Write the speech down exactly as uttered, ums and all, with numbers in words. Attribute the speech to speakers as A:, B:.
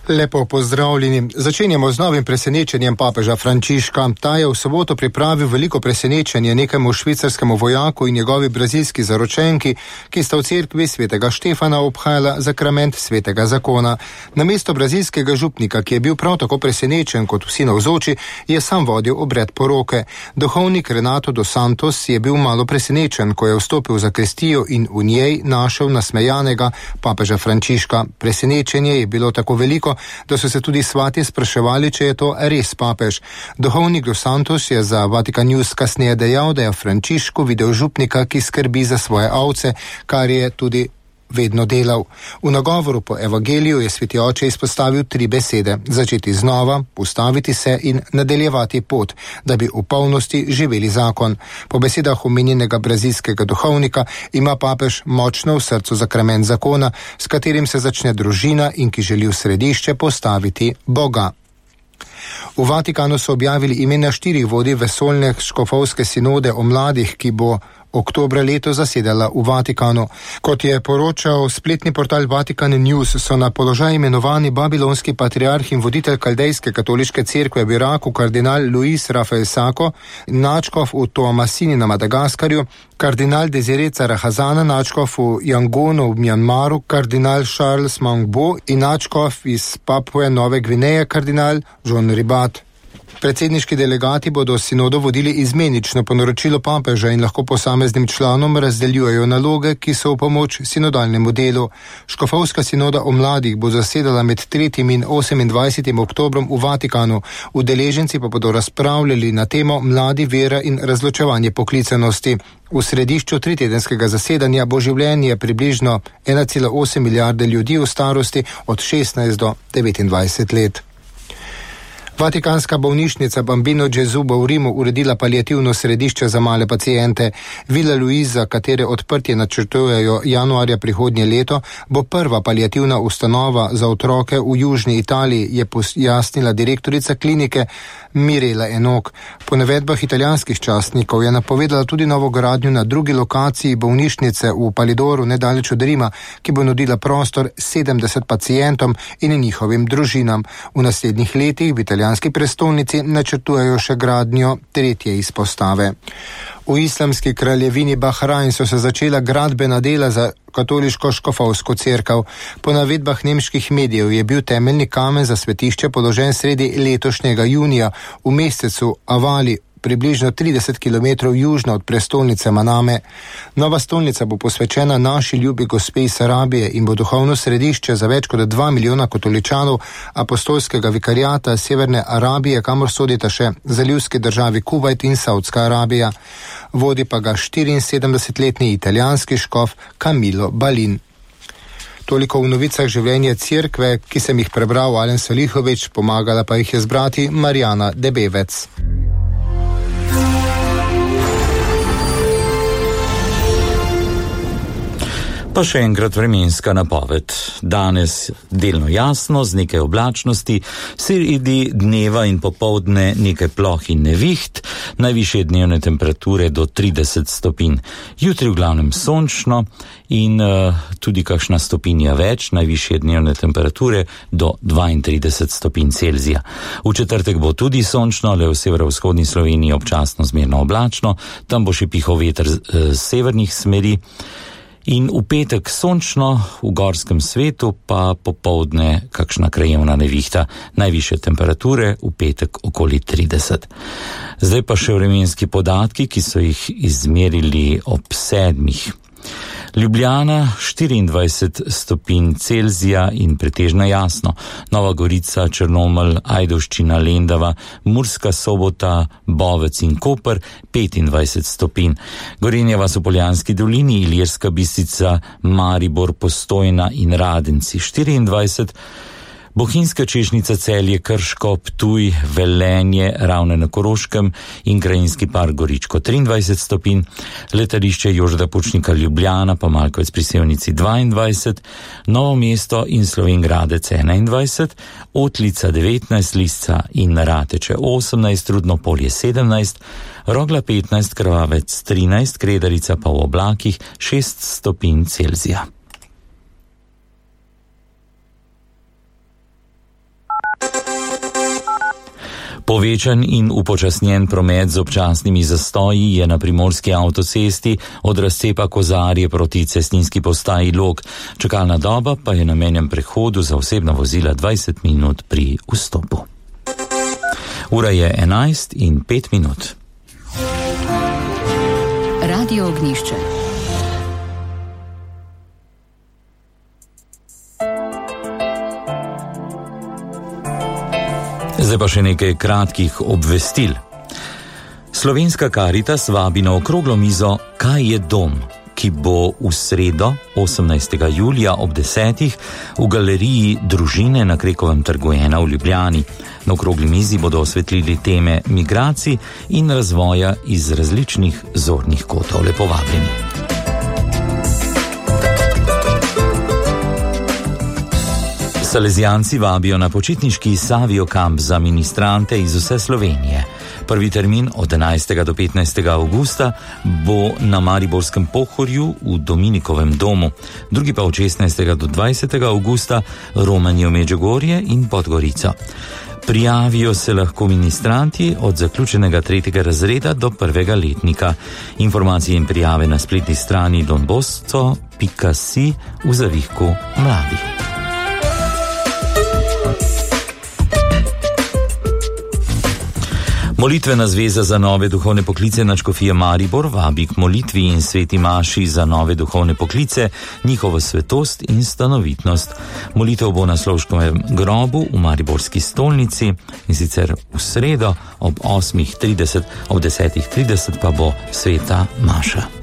A: Lepo pozdravljeni. Začenjamo z novim presenečenjem papeža Frančiška. Ta je v soboto pripravil veliko presenečenje nekemu švicarskemu vojaku in njegovi brazilski zaročenki, ki sta v cerkvi svetega Štefana obhajala zakrament svetega zakona. Namesto brazilskega župnika, ki je bil prav tako presenečen kot vsi navzoči, je sam vodil obred poroke. Duhovnik Renato dos Santos je bil malo presenečen, ko je vstopil v zakristijo in v njej našel nasmejanega papeža Frančiška. Presenečenje je bilo tako veliko, da so se tudi svati spraševali, če je to res papež. Duhovnik dos Santos je za Vatican News kasneje dejal, da je Frančišku videl župnika, ki skrbi za svoje ovce, kar je tudi vedno delal. V nagovoru po evangeliju je sveti oče izpostavil tri besede: začeti znova, ustaviti se in nadaljevati pot, da bi v polnosti živeli zakon. Po besedah omenjenega brazilskega duhovnika ima papež močno v srcu zakrament zakona, s katerim se začne družina in ki želi v središče postaviti Boga. V Vatikanu so objavili imena štirih vodij vesoljne škofovske sinode o mladih, ki bo oktobra leto zasedala v Vatikanu. Kot je poročal spletni portal Vatican News, so na položaj imenovani babilonski patriarh in voditelj kaldejske katoliške cerkve v Iraku kardinal Luis Rafael Sako, načkov v Toamasini na Madagaskarju, kardinal Desire Carahazana, načkov v Yangonu v Mjanmaru, kardinal Charles Mangbo in načkov iz Papue Nove Gvineje, kardinal John Ribat. Predsedniški delegati bodo sinodo vodili izmenično po naročilu papeža in lahko posameznim članom razdeljujejo naloge, ki so v pomoč sinodalnemu delu. Škofovska sinoda o mladih bo zasedala med tretjim in osemindvajsetim oktobrom v Vatikanu. Udeleženci pa bodo razpravljali na temo mladi, vera in razločevanje poklicanosti. V središču tritedenskega zasedanja bo življenje približno ena cela osem milijarde ljudi v starosti od šestnajst do devetindvajset let. Vatikanska bolnišnica Bambino Gesù bo v Rimu uredila paliativno središče za male paciente. Villa Luisa, katere odprtje načrtujejo januarja prihodnje leto, bo prva paliativna ustanova za otroke v južni Italiji, je pojasnila direktorica klinike Mirela Enok. Po navedbah italijanskih časnikov je napovedala tudi novogradnjo na drugi lokaciji bolnišnice v Palidoru nedaleč od Rima, ki bo nudila prostor sedemdeset pacientom in njihovim družinam. V naslednjih letih v italijanski prestolnici načrtujejo še gradnjo tretje izpostave. V islamski kraljevini Bahrajn so se začela gradbena dela za katoliško škofovsko cerkev. Po navedbah nemških medijev je bil temeljni kamen za svetišče položen sredi letošnjega junija v mesecu Avali, približno trideset kilometrov južno od prestolnice Maname. Nova stolnica bo posvečena naši ljubi gospe iz Arabije in bo duhovno središče za več kot dva milijona katoličanov apostolskega vikarijata Severne Arabije, kamor sodita še zalivski državi Kuvajt in Saudska Arabija. Vodi pa ga štiriinsedemdesetletni italijanski škof Camillo Balin. Toliko v novicah življenja cerkve, ki sem jih prebral Alen Salihovič, pomagala pa jih je zbrati Marjana Debevec.
B: Pa še enkrat vremenska napoved. Danes delno jasno, z nekaj oblačnosti, sredi dneva in popoldne nekaj ploh in neviht, najvišje dnevne temperature do trideset stopinj. Jutri v glavnem sončno in uh, tudi kakšna stopinja več, najvišje dnevne temperature do dvaintrideset stopinj Celzija. V četrtek bo tudi sončno, le v severovzhodni Sloveniji občasno zmerno oblačno, tam bo še pihal veter z uh, severnih smeri. In v petek sončno, v gorskem svetu pa popoldne kakšna krajevna nevihta, najvišje temperature v petek okoli trideset. Zdaj pa še vremenski podatki, ki so jih izmerili ob sedmih. Ljubljana štiriindvajset stopinj Celzija in pretežno jasno. Nova Gorica, Črnomelj, Ajdovščina, Lendava, Murska Sobota, Bovec in Koper petindvajset stopinj. Gorenja vas v Poljanski dolini, Ilirska Bistrica, Maribor, Postojna in Radenci štiriindvajset. Bohinjska Češnica, Celje, Krško, Ptuj, Velenje, Ravne na Koroškem in krajinski park Goričko triindvajset stopinj, letališče Jožeta Pučnika Ljubljana pa Malkovec pri Sevnici dvaindvajset, Novo mesto in Slovenj Gradec enaindvajset, Otlica devetnajst, Lisca in Rateče osemnajst, Rudno Polje sedemnajst, Rogla petnajst, Krvavec trinajst, Kredarica pa v oblakih šest stopinj Celzija. Povečan in upočasnjen promet z občasnimi zastoji je na primorski avtocesti od razcepa Kozarje proti cestninski postaji Log. Čakalna doba pa je na menjem prehodu za osebna vozila dvajset minut pri vstopu. Ura je enajst in pet minut.
C: Radio Ognjišče.
B: Zdaj pa še nekaj kratkih obvestil. Slovenska Karitas vabi na okroglo mizo Kaj je dom?, ki bo v sredo, osemnajstega julija ob desetih v galeriji Družine na Krekovem trgu ena v Ljubljani. Na okrogli mizi bodo osvetlili teme migracij in razvoja iz različnih zornih kotov. Lepo vabljeni. Salezijanci vabijo na počitniški Savio kamp za ministrante iz vse Slovenije. Prvi termin od enajstega do petnajstega avgusta bo na Mariborskem Pohorju v Dominikovem domu, drugi pa od šestnajstega do dvajsetega avgusta Romanje v Medžugorje in Podgorico. Prijavijo se lahko ministranti od zaključenega tretjega razreda do prvega letnika. Informacije in prijave na spletni strani donbosco pika si v zavihku mladih. Molitvena zveza za nove duhovne poklice nadškofije Maribor vabi k molitvi in sveti maši za nove duhovne poklice, njihovo svetost in stanovitnost. Molitev bo na Slovškovem grobu v Mariborski stolnici in sicer v sredo ob osmih trideset, ob desetih trideset pa bo sveta maša.